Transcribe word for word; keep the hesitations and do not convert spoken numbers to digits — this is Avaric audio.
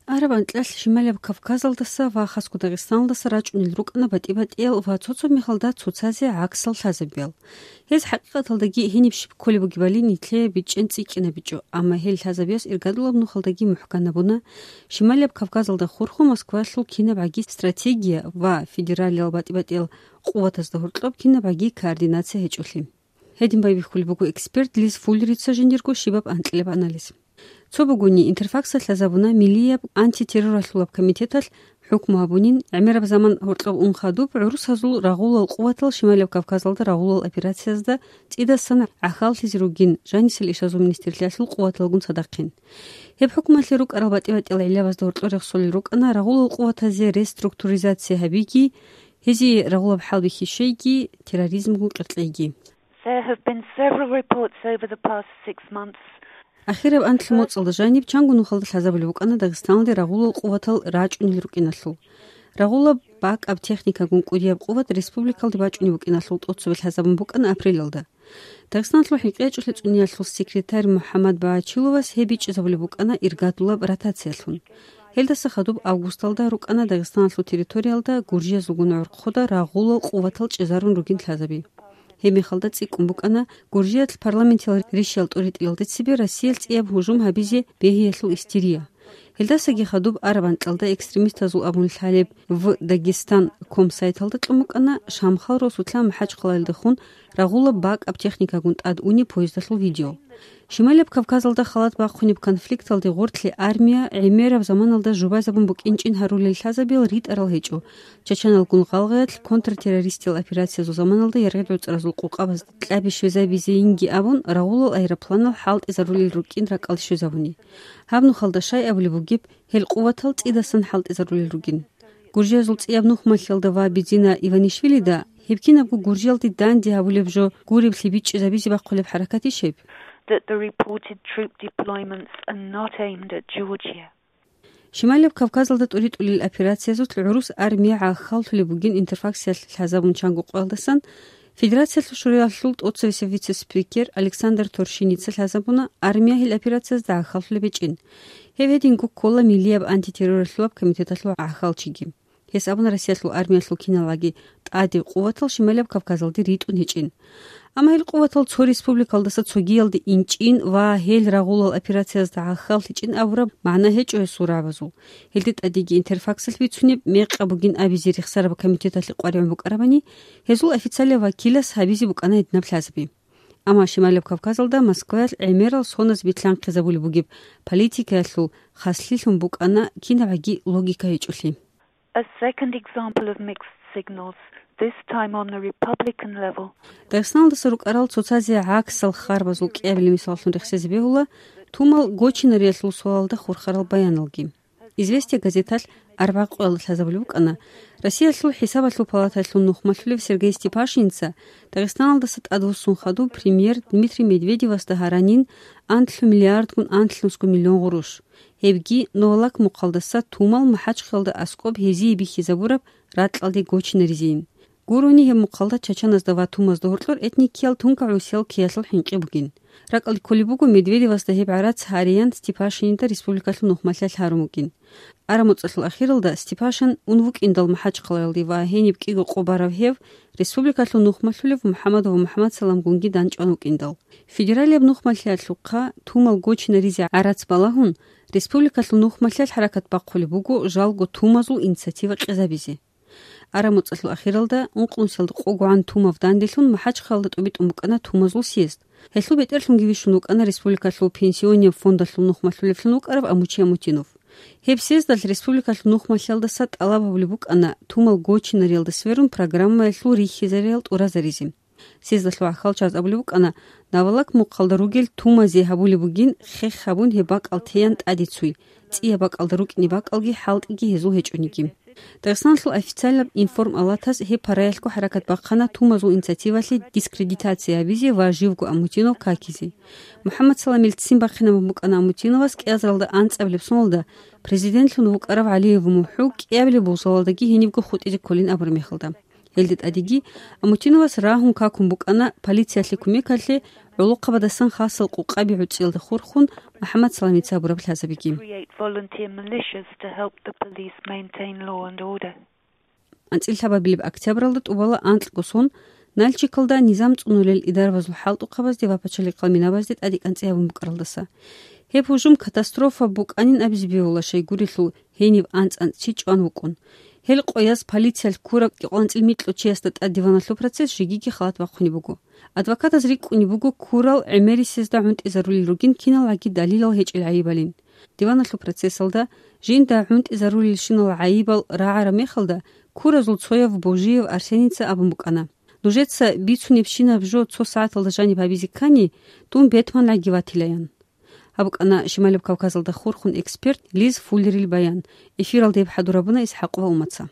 Араб анкьалъ Шималияб Кавказалдаса ва хасго Дагъистаналдаса рачӀунел рукӀана батӀи-батӀиял ва цо-цо мехалда цоцазе гӀаксал лъазабиял. Гьез хӀакъикъаталдаги гьениб щиб кколеб бугебали нилъее бичӀчӀен цӀикӀкӀинабичӀо, амма гьел лъазабиялъ иргадулаб нухалдаги мухӀканабуна, Шималияб Кавказалда хурхун Москваялъул кинабгӀаги стратегия ва федералиял батӀи-батӀиял къуватазда гьоркьоб кинабгӀаги координация гьечӀолъи. Гьедин байбихьулеб буго эксперт Лиз Фуллерица жиндирго щибаб анкьилаб анализ. Цо бугони, Интерфаксалъ лъазабуна миллияб антитерроралъулаб комитеталъ хӀукму гьабунин, гӀемераб заман гьоркьоб ун хадуб гӀурусазул рагъулал къуватал Шималияб Кавказалда рагъулал операциязда цӀидасан гӀахьаллъизе ругин, жанисел ишазул министрлъиялъул къуваталгун цадахъин. Гьеб хӀукмалъе рукӀарал батӀи-батӀиял гӀиллабазда гьоркьор рехсолел рукӀана рагъулал къуватазе реструктуризация гьабиги, гьезие рагъулаб хӀалбихьи щвейги, терроризмгун къеркьейги. There have been several reports over the past six months. Ахираб анлъго моцӀалда жаниб чанго нухалда лъазабулеб букӀана Дагъистаналде рагъулал къуватал рачӀунел рукӀиналъул. Рагъулаб бакӀаб техникагун кӀудияб къуват республикалде бачӀунеб букӀиналъул тӀоцебе лъазабун букӀана апрелалда. Дагъистаналъул хӀинкъиячӀулъи цӀуниялъул секретарь МухӀаммад Багьачиловас гьеб бичӀчӀизабулеб букӀана иргадулаб ротациялъун. Гьелдаса хадуб августалда рукӀана Дагъистаналъул территориялда гуржиязулгун гӀорхъуда рагъулал къуватал чӀезарун ругин лъазаби. Гьеб мехалда цӀикӀкӀун букӀана Гуржиялъ парламентиял ришиял тӀуритӀиялда цебе Россиялъ цӀияб гьужум гьабизе бегьиялъул истерия. Гьелдасаги хадуб араб анкьалда экстремистазул абун лъалеб в Дагестан ком сайталда кьун букӀана Шамхал росулъа МахӀачхъалаялдехун рагъулаб бакӀаб техникагун тӀад унеб поездалъул видео. Шималияб Кавказалда халат бахъунеб конфликталде гъорлъе армия гӀемераб заманалда жубазабун букӀинчӀин гьарулел лъазабиял ритӀарал гьечӀо, чачаналгун гъалгъаялъ контртеррористиял операциязул заманалда яргъи-гӀуцӀразул къокъабаз кьаби щвезабизейинги абун, рагъулал аэропланал хӀалтӀизарулел рукӀин ракӀалде щвезабуни. Гьаб нухалда щай абулеб бугеб, гьел къуватал цӀидасан хӀалтӀизарулел ругин. Гуржиязул цӀияб нухмалъиялда ва Бедзина Иванишвилида гьеб кинабго Гуржиялде данде гьабулеб жо гуреблъи бичӀчӀизабизе бахъулеб хӀаракатищ гьеб? That the reported troop deployments are not aimed at Georgia. Шималияб Кавказалда тӀуритӀулел операциязулъ гӀурус армия гӀахьаллъулеб бугин Интерфаксиялъ лъазабун чанго къоялдасан, Федерациялъул Шураялъул тӀоцевесев вице-спикер Александр Торшиница лъазабуна армия гьел операциязда гӀахьаллъулеб гьечӀин. Гьеб гьединго ккола миллияб антитерроралъулаб комитеталъул гӀахьалчиги. Гьес абуна Россиялъул армиялъул киналгӀаги тӀаде къуватал Шималияб Кавказалде ритӀун гьечӀин. Амма гьел къуватал цо республикалдаса цогиялде инчӀин ва гьел рагъулал операциязда гӀахьаллъичӀин абураб магӀна гьечӀо гьесул рагӀабазул. Гьелде тӀадеги Интерфаксалъ бицунеб мекъаб бугин абизе рехсараб комитеталъе къваригӀун букӀарабани, гьезул официалияб вакилас гьабизе букӀана гьединаб лъазаби. Амма Шималияб Кавказалда Москваялъ гӀемерал соназ билълъанхъизабулеб бугеб политикаялъул хаслъилъун букӀана кинабгӀаги логика гьечӀолъи. A second example of mixed signals, this time on the Republican level. Дагъистаналдаса рукӀарал цоцазе гӀаксал харбазул кӀиабилеб мисаллъун рехсезе бегьула тумал гочинариялъул суалалда хурхарал баяналги. «Известия» газеталъ арбагъ къоялда лъазабулеб букӀана Россиялъул ХӀисабалъул палаталъул нухмалъулев Сергей Степашинца Дагъистаналдаса тӀадвуссун хадуб премьер Дмитрий Медведевасда гьаранин анлъго миллиардгун анлънусго миллион гъурущ. Гьебги Новолак мухъалдаса тумал МахӀачхъалда аскӀоб гьезие бихьизабураб ракьалде гочинаризейин. Гурони гьеб мухъалда чачаназда ва тумазда гьоркьор этникиял тункагӀусиял ккеялъул хӀинкъи бугин. РакӀалде кколеб буго Медведевасда гьеб гӀарац гьариялъ Степашинида республикалъул нухмалъиялъ гьарун вукӀин. Арамуцалъул ахиралда Степашин ун вукӀиндал МахӀачхъалаялде ва гьениб кӀиго къо барав гьев республикалъул нухмалъулев МухӀаммадов МухӀаммадсаламгунги данчӀван вукӀиндал. Федералияб нухмалъиялъухъа тумал гочинаризе гӀарац балагьун, республикалъул нухмалъиялъ хӀаракат бахъулеб буго жалго тумазул инициатива къезабизе. Арамуцалъул ахиралда, ункънусиялда къогогӀан тумав данделъун МахӀачхъалда тӀубитӀун букӀана тумазул съезд. Гьелъул бетӀерлъунги вищун вукӀана республикалъул пенсионияб фондалъул нухмалъулевлъун вукӀарав Амучи Амутинов. Гьеб съездалъ республикалъул нухмалъиялдаса тӀалаб гьабулеб букӀана тумал гочинариялда сверун программаялъул рихьизареял тӀуразаризе. Съездалъул гӀахьалчаз абулеб букӀана, Новолак мухъалда ругел тумазе гьабулеб бугин хех гьабун гьеб бакӀал теян тӀаде цуй, цӀияб бакӀалда рукӀине бакӀалги хӀалтӀиги гьезул гьечӀониги. Дагъистаналъул официалаб информалатас гьеб параялъго хӀаракат бахъана тумазул инициативалъе дискредитация гьабизе ва живго Амутинов какизе. МухӀаммадсаламил ццин бахъинабун букӀана Амутиновас кӀиазаралда анцӀабилеб соналда президентлъун вукӀарав ГӀалиев МухӀу кӀиабилеб вокзалалдаги гьенибго хутӀизе кколин абураб мехалда. Гьелде тӀадеги Амутиновас рагьун какун букӀана полициялъе кумекалъе ГӀолохъабадасан хасал къукъаби гӀуцӀиялда хурхун МухӀаммад Саламица гьабураб лъазабиги. Create volunteer militias to help the police maintain law and order. АнцӀила лъабабилеб октябралда тӀубала анкьго сон Нальчикалда низам цӀунулел идарабазул хӀалтӀухъабазде ва пачалихъал минабазде тӀадекӀанцӀи гьабун букӀаралдаса. Гьеб гьужум катастрофа букӀанин абизе бегьула, щайгурелъул гьениб анцӀ-анцӀ чи чӀван вукӀун. Гьел къояз полициялъ ккураб кӀикъоялда анцӀила микьго чиясда тӀад диваналъул процесс жегиги халат бахъунеб буго. Адвокатаз рикӀкӀунеб буго ккурал гӀемерисезда гӀунтӀизарулел ругин киналгӀаги далилал гьечӀел гӀайибалин. Диваналъул процессалда жинда гӀунтӀизарулелщинал гӀайибал рагӀараб мехалда, ккуразул цояв Божиев Арсеница абун букӀана: «Нужеца бицунебщинаб жо цо сагӀаталда жаниб гьабизе ккани, дун бетманалъги ватилаян». Гьаб букӀана Шималаб Кавказалда хурхун эксперт Лиз Фуллерил баян. Эфиралда гьеб хӀадур гьабуна ИсхӀакъова Умаца.